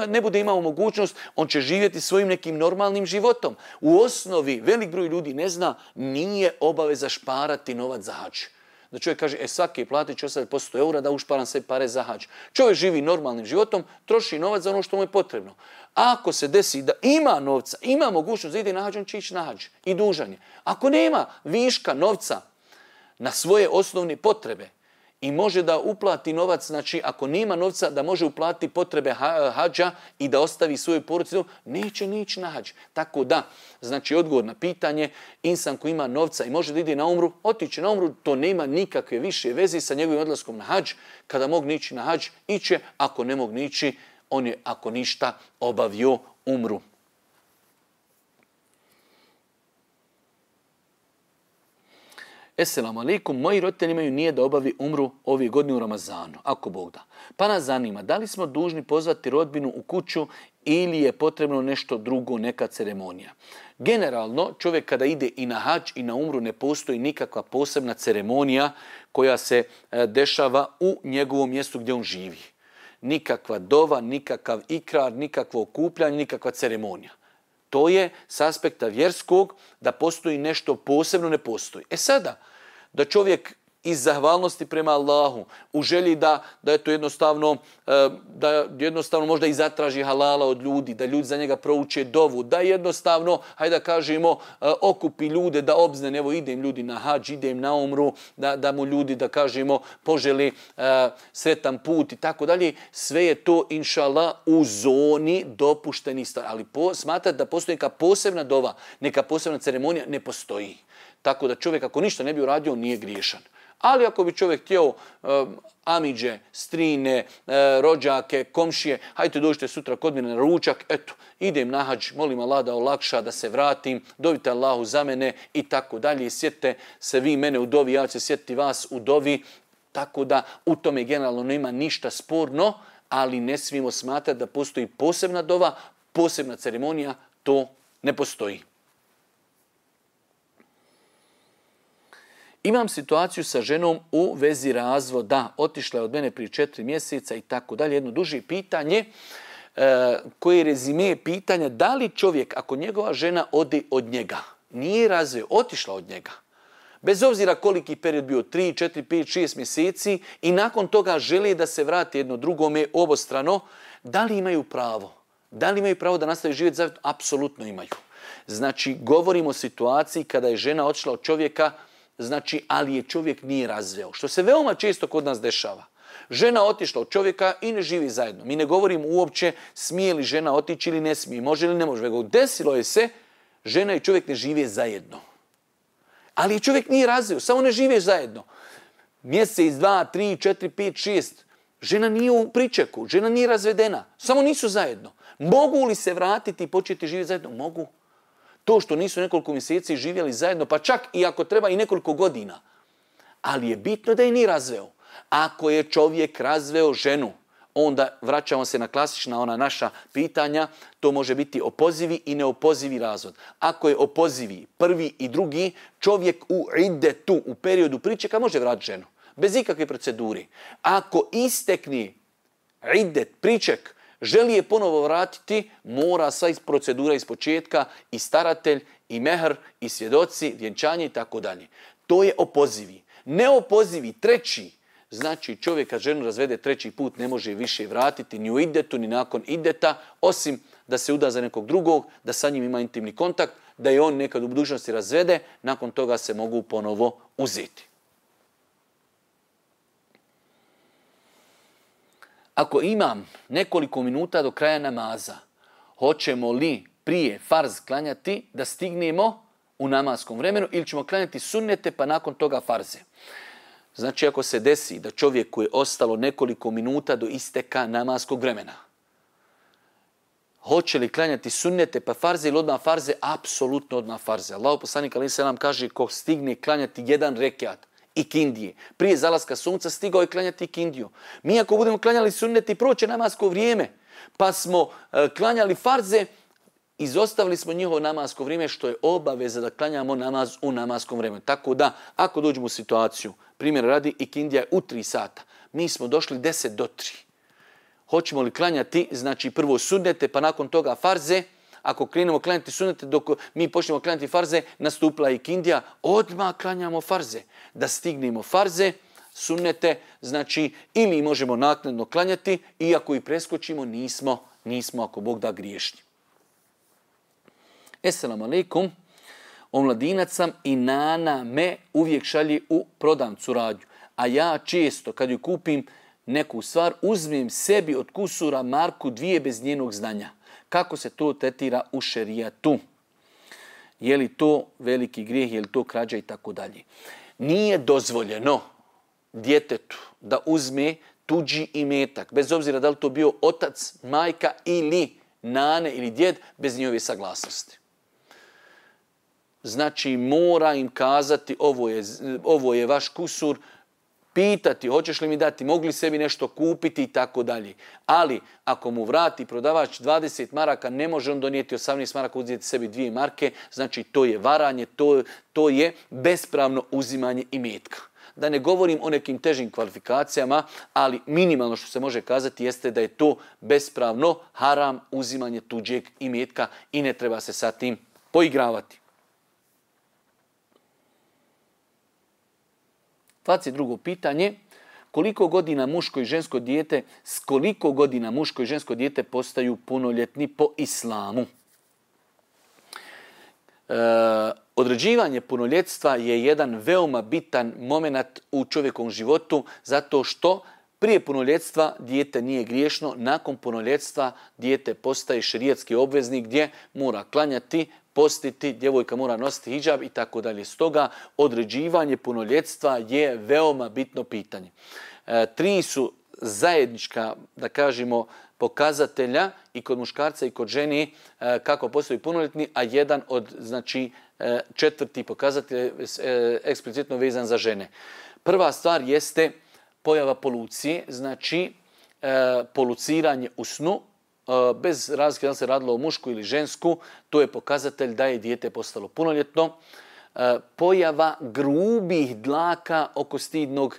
Ne bude imao mogućnost, on će živjeti svojim nekim normalnim životom. U osnovi, velik broj ljudi ne zna, nije obaveza šparati novac za hadž. Da čovjek kaže, svaki platit će ostaviti po 100 eura da ušparam sve pare za hadž. Čovjek živi normalnim životom, troši novac za ono što mu je potrebno. Ako se desi da ima novca, ima mogućnost da ide na hadž, on će ići na hadž i dužan je. Ako nema viška novca na svoje osnovne potrebe i može da uplati novac, znači ako nema novca da može uplatiti potrebe hadža i da ostavi svoju porodicu, neće ni ići na hadž. Tako da, znači odgovor na pitanje, insan koji ima novca i može da ide na umru, otići na umru, to nema nikakve više veze sa njegovim odlaskom na hadž. Kada mogu ići na hadž, iće, ako ne mogu ići, on je ako ništa obavio umru. Esselamu alaikum, moji roditelji imaju nije da obavi umru ove godine u Ramazanu, ako Bog da. Pa nas zanima, da li smo dužni pozvati rodbinu u kuću ili je potrebno nešto drugo, neka ceremonija. Generalno, čovjek kada ide i na hadž i na umru ne postoji nikakva posebna ceremonija koja se dešava u njegovom mjestu gdje on živi. Nikakva dova, nikakav ikrar, nikakvo okupljanje, nikakva ceremonija. To je s aspekta vjerskog, da postoji nešto posebno, ne postoji. Sada, da čovjek iz zahvalnosti prema Allahu, u želji da jednostavno možda i zatraži halala od ljudi, da ljudi za njega prouče dovu, da jednostavno, hajde da kažemo, okupi ljude da obzne, evo idem ljudi na hadž, idem na umru, da mu ljudi, da kažemo, poželi sretan put i tako dalje. Sve je to, inša Allah, u zoni dopuštenih stvari. Ali smatrati da postoji neka posebna dova, neka posebna ceremonija, ne postoji. Tako da čovjek ako ništa ne bi uradio, nije griješan. Ali ako bi čovjek htio amidže, strine, rođake, komšije, hajde dođite sutra kod mene na ručak, eto, idem na hadž, molim Allah da olakša, da se vratim, dovite Allahu za mene i tako dalje. Sjetite se vi mene u dovi, ja ću se sjetiti vas u dovi. Tako da u tome generalno nema ništa sporno, ali ne smijemo smatrati da postoji posebna dova, posebna ceremonija, to ne postoji. Imam situaciju sa ženom u vezi razvoda. Otišla je od mene prije 4 mjeseca i tako dalje. Jedno duže pitanje koje je rezime pitanja da li čovjek, ako njegova žena ode od njega, nije razveo, otišla od njega, bez obzira koliki period bio, 3, 4, 5, 6 mjeseci i nakon toga žele da se vrati jedno drugome obostrano, da li imaju pravo? Da li imaju pravo da nastavi živjeti zajedno? Apsolutno imaju. Znači, govorimo o situaciji kada je žena otišla od čovjeka, znači, ali je čovjek nije razveo. Što se veoma često kod nas dešava. Žena otišla od čovjeka i ne živi zajedno. Mi ne govorimo uopće smije li žena otići ili ne smije, može ili ne može. Desilo je se, žena i čovjek ne žive zajedno. Ali čovjek nije razveo, samo ne žive zajedno. Mjesec, 2, 3, 4, 5, 6. Žena nije u pričeku, žena nije razvedena, samo nisu zajedno. Mogu li se vratiti i početi živjeti zajedno? Mogu. To što nisu nekoliko mjeseci živjeli zajedno, pa čak i ako treba i nekoliko godina. Ali je bitno da je nije razveo. Ako je čovjek razveo ženu, onda vraćamo se na klasična ona naša pitanja, to može biti opozivi i neopozivi razvod. Ako je opozivi prvi i drugi, čovjek u iddetu, u periodu pričeka, može vratiti ženu. Bez ikakve procedure. Ako istekne iddet, priček, želi je ponovo vratiti, mora sva procedura iz početka, i staratelj, i mehr, i svjedoci, vjenčanje i tako dalje. To je opozivi. Neopozivi, treći, znači čovjek kad ženu razvede 3. put ne može više vratiti ni u iddetu, ni nakon iddeta, osim da se uda za nekog drugog, da sa njim ima intimni kontakt, da je on nekad u budućnosti razvede, nakon toga se mogu ponovo uzeti. Ako imam nekoliko minuta do kraja namaza, hoćemo li prije farz klanjati da stignemo u namaskom vremenu ili ćemo klanjati sunnete pa nakon toga farze? Znači ako se desi da čovjeku je ostalo nekoliko minuta do isteka namaskog vremena, hoće li klanjati sunnete pa farze ili odmah farze? Apsolutno odmah farze. Allahu poslanik alejhi selam kaže ko stigne klanjati jedan rekiat ikindije, prije zalaska sunca stigao je klanjati ikindiju. Mi ako budemo klanjali sunnete i proće namasko vrijeme, pa smo klanjali farze, izostavili smo njihovo namasko vrijeme, što je obaveza da klanjamo namaz u namaskom vremenu. Tako da, ako dođemo u situaciju, primjer radi, ikindija je u 3 sata, mi smo došli 10 do 3. Hoćemo li klanjati, znači prvo sunnete, pa nakon toga farze? Ako krenemo klanjati sunnete, dok mi počnemo klanjati farze, nastupila ikindija, odmah klanjamo farze. Da stignemo farze, sunnete, znači ili možemo naknadno klanjati, iako i preskočimo, nismo ako Bog da griješni. Esselamu alaikum. Omladinac sam i nana me uvijek šalje u prodavnicu radnju. A ja često kad ju kupim neku stvar, uzmem sebi od kusura marku 2 bez njenog znanja. Kako se to tretira u šerijatu? Je li to veliki grijeh, je li to krađa i tako dalje? Nije dozvoljeno djetetu da uzme tuđi imetak, bez obzira da li to bio otac, majka ili nane ili djed, bez njihove saglasnosti. Znači mora im kazati ovo je vaš kusur, pitati hoćeš li mi dati, mogli sebi nešto kupiti i tako dalje. Ali ako mu vrati prodavač 20 maraka, ne može on donijeti 18 maraka, uzeti sebi 2 marke, znači to je varanje, to je bespravno uzimanje imetka. Da ne govorim o nekim težim kvalifikacijama, ali minimalno što se može kazati jeste da je to bespravno haram uzimanje tuđeg imetka i ne treba se sa tim poigravati. 22. pitanje. Koliko godina muško i žensko dijete, s koliko godina muško i žensko dijete postaju punoljetni po islamu? Određivanje punoljetstva je jedan veoma bitan moment u čovjekovom životu, zato što prije punoljetstva dijete nije griješno, nakon punoljetstva dijete postaje šerijatski obveznik gdje mora klanjati, postiti, djevojka mora nositi hidžab i tako dalje. Stoga određivanje punoljetstva je veoma bitno pitanje. 3 su zajednička, da kažemo, pokazatelja i kod muškarca i kod žene kako postaju punoljetni, a jedan od, znači, 4. pokazatelj eksplicitno vezan za žene. Prva stvar jeste pojava polucije, znači poluciranje u snu, bez razlike da li se radilo o mušku ili žensku, to je pokazatelj da je dijete postalo punoljetno. Pojava grubih dlaka oko stidnog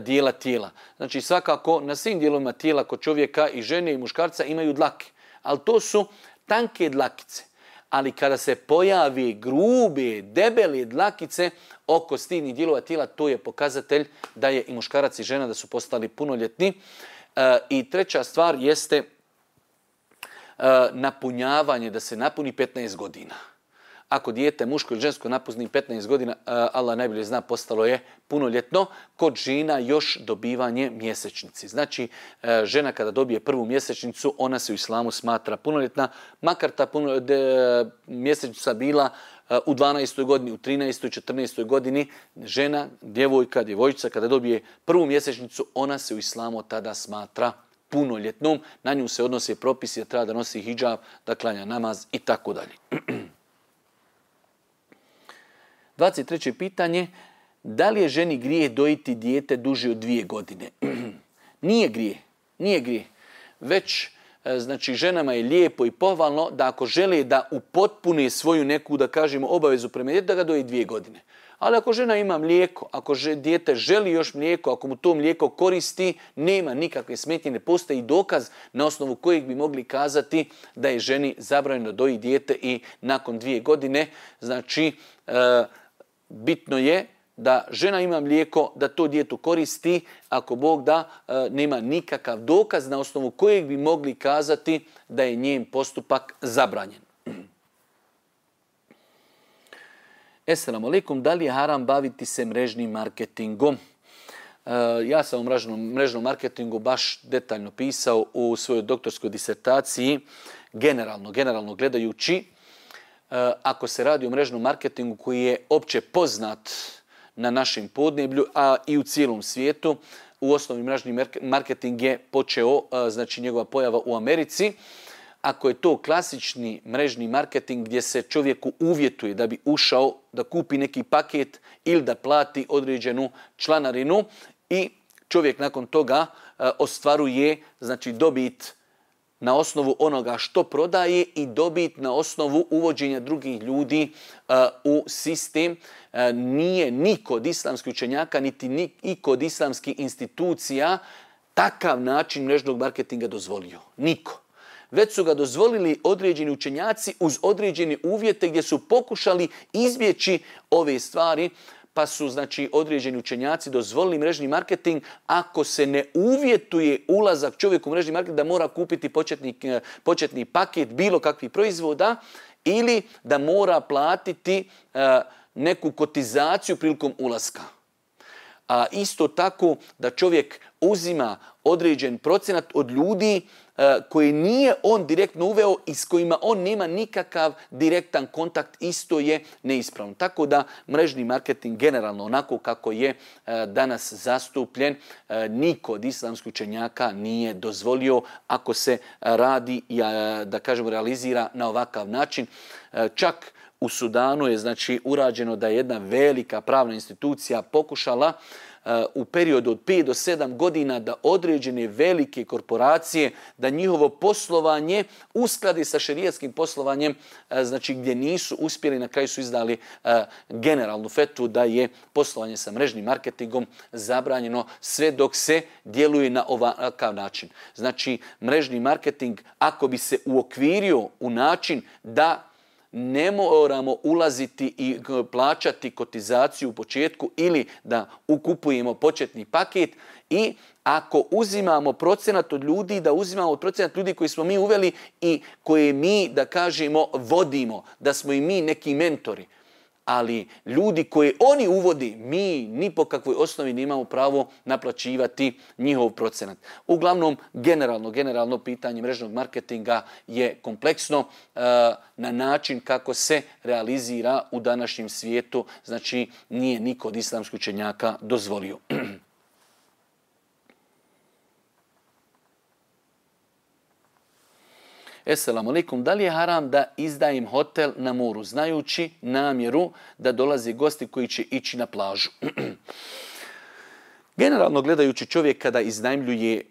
dijela tijela. Znači svakako na svim dijelovima tijela kod čovjeka i žene i muškarca imaju dlake, ali to su tanke dlakice. Ali kada se pojavi grube, debele dlakice oko stidnih dijelova tijela, to je pokazatelj da je i muškarac i žena da su postali punoljetni. I treća stvar jeste napunjavanje, da se napuni 15 godina. Ako dijete muško ili žensko napuni 15 godina, Allah najbolje zna, postalo je punoljetno. Kod žena još dobivanje mjesečnici. Znači, žena kada dobije prvu mjesečnicu, ona se u islamu smatra punoljetna, makar ta mjesečnica bila u 12. godini, u 13. 14. godini. Žena, djevojčica kada dobije prvu mjesečnicu, ona se u islamu tada smatra punoljetnom. Na nju se odnose propisi da treba da nosi hidžab, da klanja namaz i tako dalje. 23. pitanje. Da li je ženi grijeh dojiti dijete duže od 2 godine? Nije grijeh. Već, znači, ženama je lijepo i pohvalno da ako žele da upotpune svoju neku, da kažemo, obavezu prema djetetu, da ga doji 2 godine. Ali ako žena ima mlijeko, ako dijete želi još mlijeko, ako mu to mlijeko koristi, nema nikakve smetnje, ne postoji dokaz na osnovu kojeg bi mogli kazati da je ženi zabranjeno doji dijete i nakon 2 godine. Znači, bitno je da žena ima mlijeko, da to djetu koristi, ako Bog da, nema nikakav dokaz na osnovu kojeg bi mogli kazati da je njen postupak zabranjen. Esselamu alaikum, da li je haram baviti se mrežnim marketingom? Ja sam o mrežnom marketingu baš detaljno pisao u svojoj doktorskoj disertaciji, generalno gledajući. Ako se radi o mrežnom marketingu koji je opće poznat na našem podneblju, a i u cijelom svijetu. U osnovi mrežni marketing je počeo, znači njegova pojava u Americi. Ako je to klasični mrežni marketing gdje se čovjeku uvjetuje da bi ušao, da kupi neki paket ili da plati određenu članarinu i čovjek nakon toga ostvaruje, znači, dobit na osnovu onoga što prodaje i dobit na osnovu uvođenja drugih ljudi u sistem, nije niko od islamskih učenjaka niti niko od islamskih institucija takav način mrežnog marketinga dozvolio. Niko. Već su ga dozvolili određeni učenjaci uz određene uvjete gdje su pokušali izbjeći ove stvari, pa su, znači, određeni učenjaci dozvolili mrežni marketing ako se ne uvjetuje ulazak čovjeku u mrežni marketing da mora kupiti početni paket bilo kakvih proizvoda ili da mora platiti neku kotizaciju prilikom ulaska. A isto tako da čovjek uzima određen procenat od ljudi koji nije on direktno uveo i s kojima on nema nikakav direktan kontakt, isto je neispravno. Tako da mrežni marketing generalno onako kako je danas zastupljen, niko od islamskih učenjaka nije dozvolio ako se radi, da kažemo, realizira na ovakav način. Čak u Sudanu je, znači, urađeno da je jedna velika pravna institucija pokušala u periodu od 5 do 7 godina da određene velike korporacije, da njihovo poslovanje uskladi sa šerijatskim poslovanjem, znači gdje nisu uspjeli, na kraju su izdali generalnu fetvu da je poslovanje sa mrežnim marketingom zabranjeno sve dok se djeluje na ovakav način. Znači, mrežni marketing, ako bi se uokvirio u način da ne moramo ulaziti i plaćati kotizaciju u početku ili da ukupujemo početni paket i ako uzimamo procenat od ljudi, da uzimamo procenat ljudi koji smo mi uveli i koje mi, da kažemo, vodimo, da smo i mi neki mentori. Ali ljudi koje oni uvodi, mi ni po kakvoj osnovi nemamo pravo naplaćivati njihov procenat. Uglavnom, generalno pitanje mrežnog marketinga je kompleksno na način kako se realizira u današnjem svijetu. Znači, nije niko od islamskih učenjaka dozvolio. Esselamu alaikum, da li je haram da izdajem hotel na moru, znajući namjeru da dolaze gosti koji će ići na plažu? Generalno gledajući, čovjek kada iznajmljuje,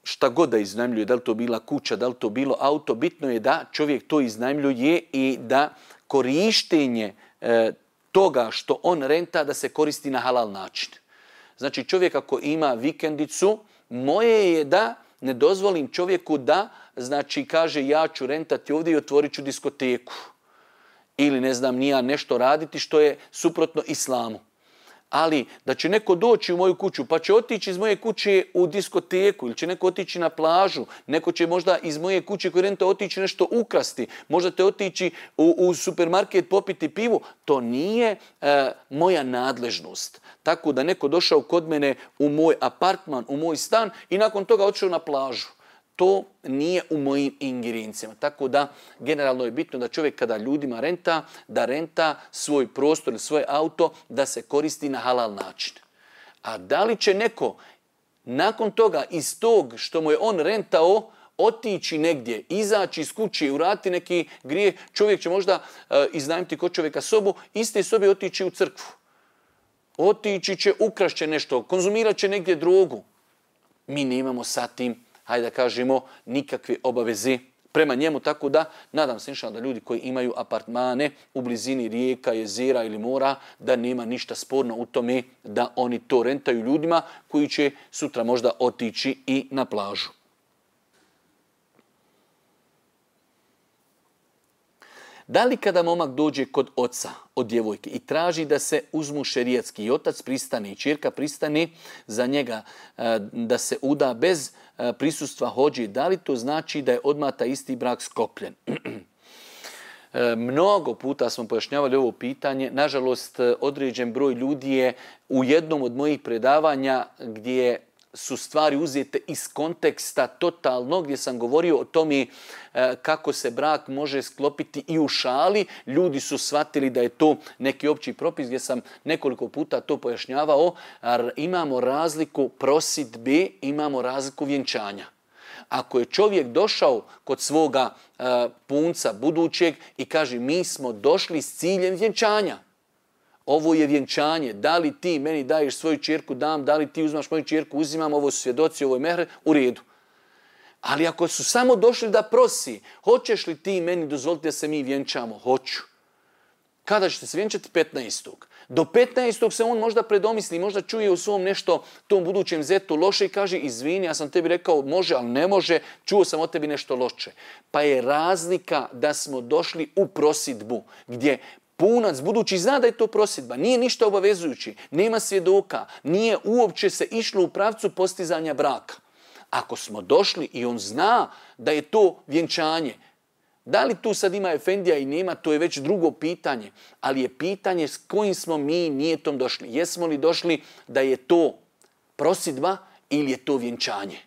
šta god da iznajmljuje, da li to bila kuća, da li to bilo auto, bitno je da čovjek to iznajmljuje i da korištenje toga što on renta da se koristi na halal način. Znači, čovjek ako ima vikendicu, moje je da ne dozvolim čovjeku da, znači, kaže ja ću rentati ovdje i otvorit ću diskoteku. Ili ne znam nija nešto raditi što je suprotno islamu. Ali da će neko doći u moju kuću pa će otići iz moje kuće u diskoteku ili će neko otići na plažu, neko će možda iz moje kuće koji renta otići nešto ukrasti, možda te otići u supermarket popiti pivu, to nije moja nadležnost. Tako da neko došao kod mene u moj apartman, u moj stan i nakon toga otišao na plažu. To nije u mojim ingerencijama. Tako da generalno je bitno da čovjek kada ljudima renta, da renta svoj prostor ili svoje auto, da se koristi na halal način. A da li će neko nakon toga iz tog što mu je on rentao otići negdje, izaći iz kuće i uraditi neki grije, čovjek će možda iznajmiti kod čovjeka sobu, iste sobe otići u crkvu. Otići će, ukrašće nešto, konzumirat će negdje drogu. Mi nemamo sa tim, hajde da kažemo, nikakve obaveze prema njemu, tako da nadam se inšallah da ljudi koji imaju apartmane u blizini rijeka, jezera ili mora, da nema ništa sporno u tome da oni to rentaju ljudima koji će sutra možda otići i na plažu. Da li kada momak dođe kod oca od djevojke i traži da se uzmu šerijatski i otac pristane i ćerka pristane za njega da se uda bez prisustva hodžije, da li to znači da je odmah taj isti brak sklopljen? Mnogo puta smo pojašnjavali ovo pitanje. Nažalost, određen broj ljudi je u jednom od mojih predavanja gdje su stvari uzete iz konteksta totalno, gdje sam govorio o tome kako se brak može sklopiti i u šali. Ljudi su shvatili da je to neki opći propis, gdje sam nekoliko puta to pojašnjavao. Imamo razliku prosidbe, imamo razliku vjenčanja. Ako je čovjek došao kod svoga punca budućeg i kaže mi smo došli s ciljem vjenčanja, ovo je vjenčanje, da li ti meni daješ svoju ćerku, dam, da li ti uzmaš moju ćerku, uzimam, ovo su svjedoci, ovo je mehr, u redu. Ali ako su samo došli da prosi, hoćeš li ti meni dozvoliti da se mi vjenčamo? Hoću. Kada ćete se vjenčati? 15. Do 15. se on možda predomisli, možda čuje u svom nešto tom budućem zetu loše i kaže izvini, ja sam tebi rekao može, ali ne može, čuo sam od tebi nešto loše. Pa je razlika da smo došli u prosidbu, gdje punac budući zna da je to prosidba, nije ništa obavezujući, nema svjedoka, nije uopće se išlo u pravcu postizanja braka. Ako smo došli i on zna da je to vjenčanje, da li tu sad ima efendija i nema, to je već drugo pitanje, ali je pitanje s kojim smo mi nijetom došli. Jesmo li došli da je to prosidba ili je to vjenčanje?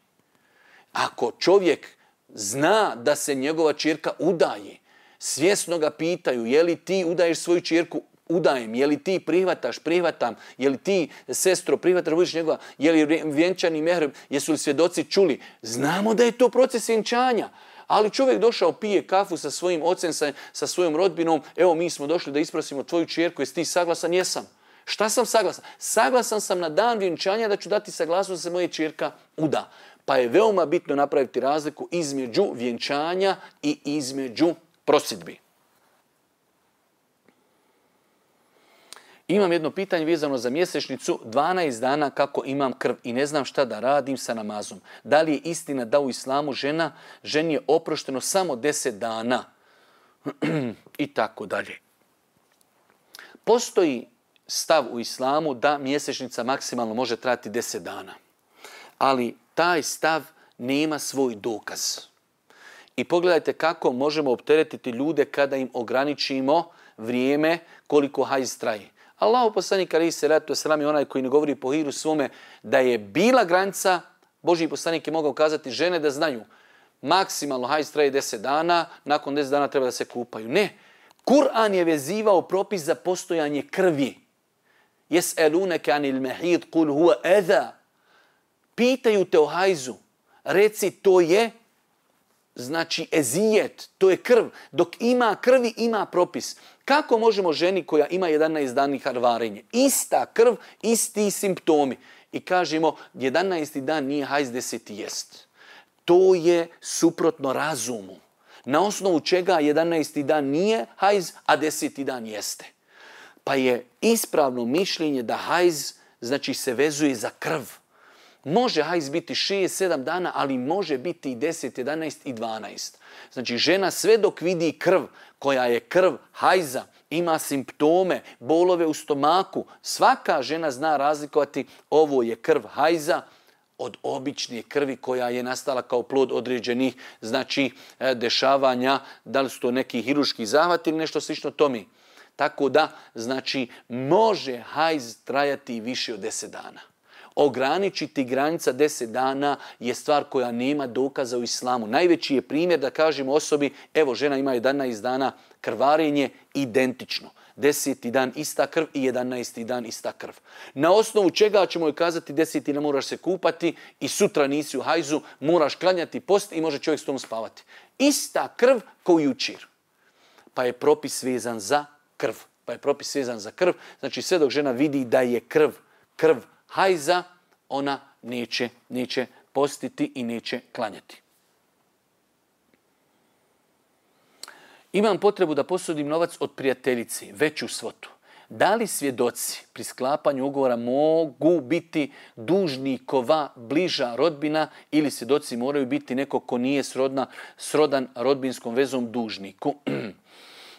Ako čovjek zna da se njegova ćerka udaje, svjesno ga pitaju je li ti udaješ svoju ćerku, udajem, je li ti prihvataš, prihvatam, je li ti sestro prihvataš, budiš njegova, je li vjenčani mehr, jesu li svjedoci čuli. Znamo da je to proces vjenčanja. Ali čovjek došao, pije kafu sa svojim ocem, sa svojom rodbinom, evo mi smo došli da isprosimo tvoju ćerku, jesi ti saglasan? Jesam. Šta sam saglasan? Saglasan sam na dan vjenčanja da ću dati saglasnost da se moja ćerka uda. Pa je veoma bitno napraviti razliku između vjenčanja i između prosidbi. Imam jedno pitanje vezano za mjesečnicu, 12 dana kako imam krv i ne znam šta da radim sa namazom. Da li je istina da u islamu ženi je oprošteno samo 10 dana? I tako dalje. Postoji stav u islamu da mjesečnica maksimalno može trajati 10 dana. Ali taj stav nema svoj dokaz. I pogledajte kako možemo opteretiti ljude kada im ograničimo vrijeme koliko hajz traje. Allahu poslanik alejhi selatu vesselam je onaj koji ne govori po hiru svome da je bila granica. Božji poslanik je mogao kazati žene da znaju maksimalno hajz traje 10 dana, nakon 10 dana treba da se kupaju. Ne, Kur'an je vezivao propis za postojanje krvi. Jes'elunaka anil mahid qul huwa adha. Pitaju te o hajzu, reci to je znači ezijet, to je krv. Dok ima krvi, ima propis. Kako možemo ženi koja ima 11 dana krvarenje, ista krv, isti simptomi, i kažemo 11. dan nije hajz, 10. jest. To je suprotno razumu. Na osnovu čega 11. dan nije hajz, a 10. dan jeste. Pa je ispravno mišljenje da hajz znači se vezuje za krv. Može hajz biti 6-7 dana, ali može biti i 10, 11 i 12. Znači žena sve dok vidi krv, koja je krv hajza, ima simptome, bolove u stomaku, svaka žena zna razlikovati ovo je krv hajza od obične krvi koja je nastala kao plod određenih znači dešavanja, da li su to neki hirurški zahvat ili nešto slično tome. Tako da, znači, može hajz trajati više od 10 dana. Ograničiti granica 10 dana je stvar koja nema dokaza u islamu. Najveći je primjer da kažemo osobi, evo žena ima 11 dana krvarenje, identično. 10. dan ista krv i 11. dan ista krv. Na osnovu čega ćemo joj kazati 10. ne moraš se kupati i sutra nisi u hajzu, moraš klanjati post i može čovjek s tom spavati. Ista krv kao jučer. Pa je propis vezan za krv. Znači sve dok žena vidi da je krv hajza, ona neće postiti i neće klanjati. Imam potrebu da posudim novac od prijateljici, veću svotu. Da li svjedoci pri sklapanju ugovora mogu biti dužnikova bliža rodbina ili svjedoci moraju biti neko ko nije srodan rodbinskom vezom dužniku?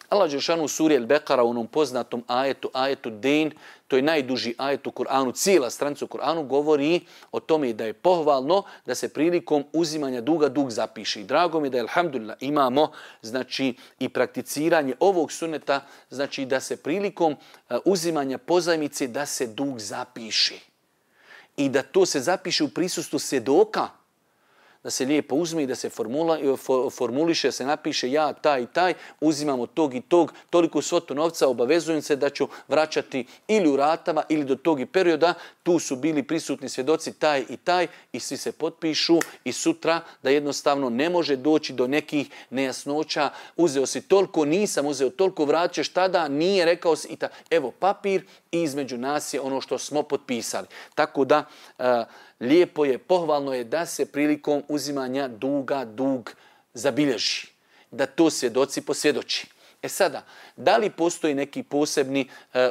Allah dželešanu u suri Al-Beqara u onom poznatom ajetu Dejn, to je najduži ajet u Kur'anu, cijela stranica u Kur'anu govori o tome da je pohvalno da se prilikom uzimanja duga dug zapiše. I drago mi je da alhamdulillah imamo znači i prakticiranje ovog suneta, znači da se prilikom uzimanja pozajmice da se dug zapiše. i da to se zapiše u prisustvu svjedoka, da se lijepo uzme i da se formuliše, se napiše ja taj i taj, uzimam od tog i tog, toliko svotu novca, obavezujem se da ću vraćati ili u ratama ili do tog i perioda, tu su bili prisutni svjedoci taj i taj i svi se potpišu i sutra da jednostavno ne može doći do nekih nejasnoća, uzeo si toliko, nisam uzeo toliko, vraćaš tada, nije rekao si i tako. Evo papir i između nas je ono što smo potpisali. Tako da lijepo je, pohvalno je da se prilikom uzimanja duga dug zabilježi. Da to svjedoci posvjedoči. E sada, da li postoji neki posebni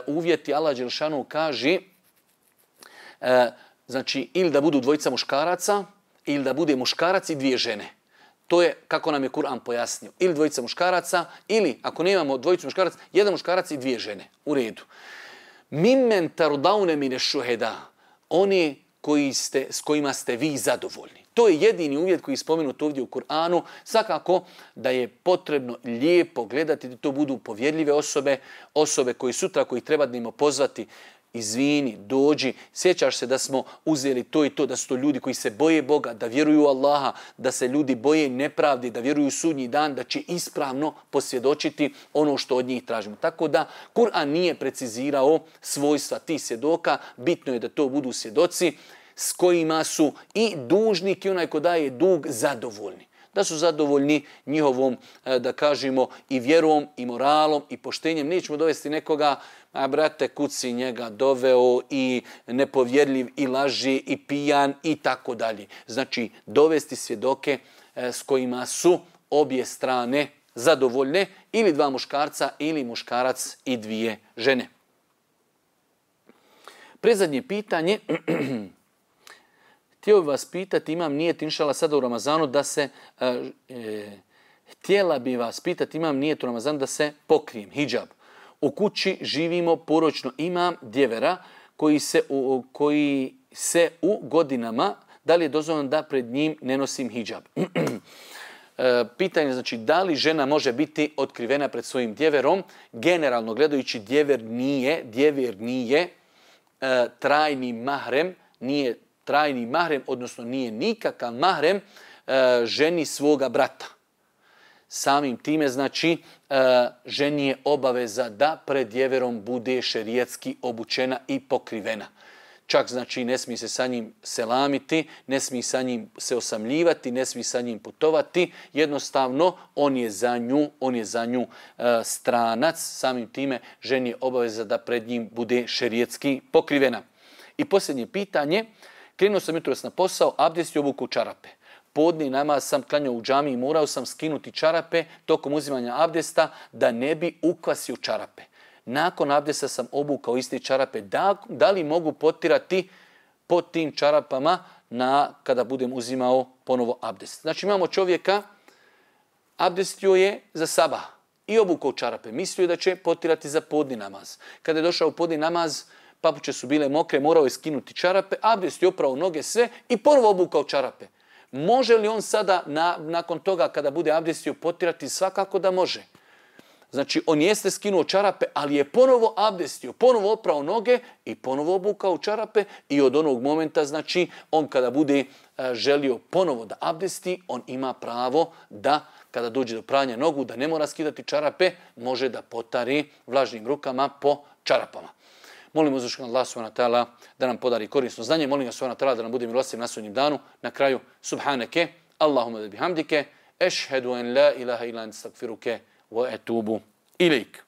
uvjeti? Allah dželešanu kaže, znači ili da budu dvojica muškaraca ili da bude muškarac i dvije žene. To je kako nam je Kur'an pojasnio. Ili dvojica muškaraca ili ako nemamo dvojicu muškaraca, jedan muškarac i dvije žene. U redu. Mimmen tardaune mine šuheda. Oni s kojima ste vi zadovoljni. To je jedini uvjet koji je spomenut ovdje u Kur'anu. Svakako da je potrebno lijepo gledati da to budu povjerljive osobe koji sutra, koji treba da im pozvati, izvini, dođi, sjećaš se da smo uzeli to i to, da su to ljudi koji se boje Boga, da vjeruju Allaha, da se ljudi boje nepravdi, da vjeruju u sudnji dan, da će ispravno posvjedočiti ono što od njih tražimo. Tako da Kur'an nije precizirao svojstva tih svjedoka, bitno je da to budu svjedoci s kojima su i dužnik i onaj ko daje dug zadovoljni. Da su zadovoljni njihovom, da kažemo, i vjerom, i moralom, i poštenjem. Nećemo dovesti nekoga, a brate, kuci njega doveo i nepovjerljiv, i laži, i pijan, i tako dalje. Znači, dovesti svjedoke s kojima su obje strane zadovoljne, ili dva muškarca, ili muškarac i dvije žene. Predzadnje pitanje... Htio bih vas pitati, imam nijet inšala sada u Ramazanu da se, htjela bi vas pitati, imam nijet u Ramazanu da se pokrijem, hidžab. U kući živimo poročno, imam djevera koji se u godinama, da li je dozvoljeno da pred njim ne nosim hidžab? Pitanje znači da li žena može biti otkrivena pred svojim djeverom. Generalno gledajući djever nije trajni mahrem, nije trajni mahrem, odnosno nije nikakav mahrem ženi svoga brata. Samim time, znači, ženi je obaveza da pred djeverom bude šerijatski obučena i pokrivena. Čak, znači, ne smije se sa njim selamiti, ne smije sa njim se osamljivati, ne smije sa njim putovati. Jednostavno, on je za nju stranac. Samim time, ženi je obaveza da pred njim bude šerijatski pokrivena. I posljednje pitanje, krenuo sam jutros na posao, abdest i obukao čarape. Podni namaz sam klanjao u džamiji i morao sam skinuti čarape tokom uzimanja abdesta da ne bi ukvasio čarape. Nakon abdesta sam obukao iste čarape. Da li mogu potirati pod tim čarapama kada budem uzimao ponovo abdest? Znači imamo čovjeka, abdestio je za sabah i obukao čarape. Mislio je da će potirati za podni namaz. Kada je došao u podni namaz, papuče su bile mokre, morao je skinuti čarape, abdest je oprao noge sve i ponovo obukao čarape. Može li on sada nakon toga kada bude abdestio potirati? Svakako da može. Znači on jeste skinuo čarape, ali je ponovo abdestio, ponovo oprao noge i ponovo obukao čarape i od onog momenta, znači on kada bude želio ponovo da abdesti, on ima pravo da kada dođe do pranja nogu, da ne mora skidati čarape, može da potari vlažnim rukama po čarapama. Molim uzvišenog Allaha subhanahu wa ta'ala da nam podari korisno znanje. Molim ga subhanahu wa ta'ala da nam bude milostiv na sudnjem danu. Na kraju, subhaneke, Allahumma da bihamdike, ešhedu en la ilaha illa ente astagfiruke wa etubu ilaik.